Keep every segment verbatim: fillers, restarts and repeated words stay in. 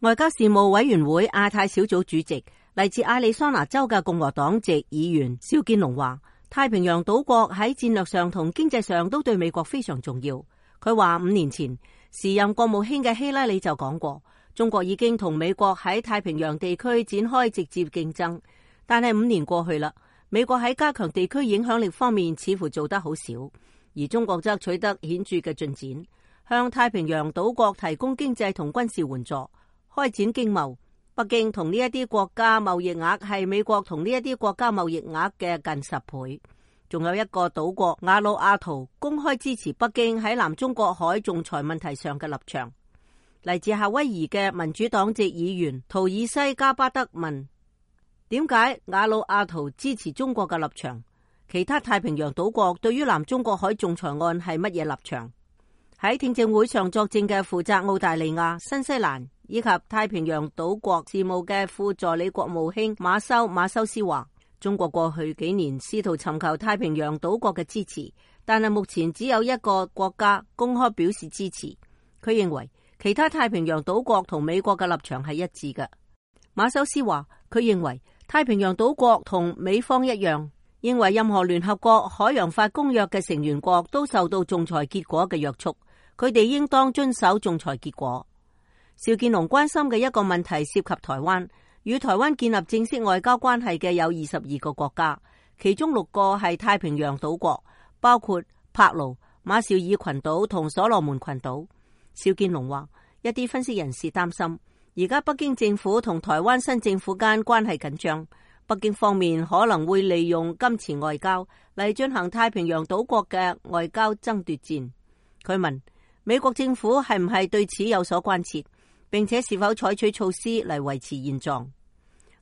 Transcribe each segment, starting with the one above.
外交事務委員會亞太小組主席嚟自亞利桑那州嘅共和黨籍議員邵建龍話，太平洋島國喺戰略上同經濟上都對美國非常重要。佢話五年前時任國務卿嘅希拉里就講過，中國已經同美國喺太平洋地區展開直接競爭，但係五年過去啦，美國喺加強地區影響力方面似乎做得好少，而中國則取得顯著嘅進展，向太平洋島國提供經濟同軍事援助，開展經貿。北京同呢一啲國家貿易額係美國同呢一啲國家貿易額嘅近十倍。仲有一個島國瓦努阿圖公開支持北京喺南中國海仲裁問題上嘅立場。嚟自夏威夷嘅民主黨籍議員圖爾西加巴德問：點解瓦努阿圖支持中國嘅立場？其他太平洋島國對於南中國海仲裁案係乜嘢立場？喺聽證會上作證嘅負責澳大利亞、新西蘭以及太平洋島國事務嘅副助理國務卿馬修馬修斯話，中國過去幾年試圖尋求太平洋島國嘅支持，但係目前只有一個國家公開表示支持。佢認為其他太平洋島國同美國嘅立場係一致嘅。馬修斯話，佢認為太平洋島國同美方一樣，認為任何聯合國海洋法公約嘅成員國都受到仲裁結果嘅約束，佢哋應當遵守仲裁結果。邵建龍關心嘅一個問題涉及台灣，與台灣建立正式外交關係嘅有二十二個國家，其中六個係太平洋島國，包括帕勞、馬紹爾群島同所羅門群島。邵建龍話，一啲分析人士擔心，而家北京政府同台灣新政府間關係緊張，北京方面可能會利用金錢外交嚟進行太平洋島國嘅外交爭奪戰。佢問美國政府係唔係對此有所關切，並且是否採取措施嚟維持現狀？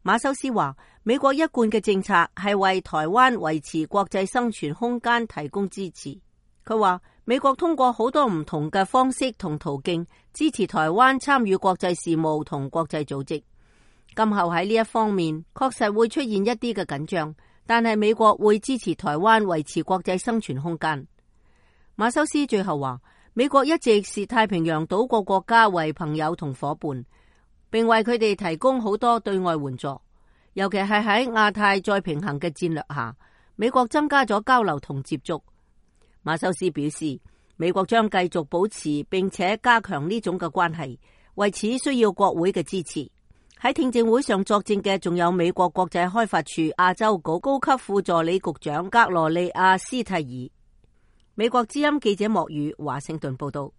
馬修斯話，美國一貫嘅政策係為台灣維持國際生存空間提供支持。佢話美國通過好多唔同嘅方式同途徑支持台灣參與國際事務同國際組織。今後喺呢一方面確實會出現一啲嘅緊張，但係美國會支持台灣維持國際生存空間。馬修斯最後話，美國一直視太平洋島國國家為朋友同夥伴，並為佢哋提供好多對外援助，尤其係喺亞太再平衡嘅戰略下，美國增加咗交流同接觸。馬修斯表示，美國將繼續保持並且加強呢種嘅關係，為此需要國會嘅支持。喺聽證會上作證嘅仲有美國國際開發處亞洲局高級副助理局長格羅利亞斯蒂爾。美國之音記者莫宇華盛頓報道。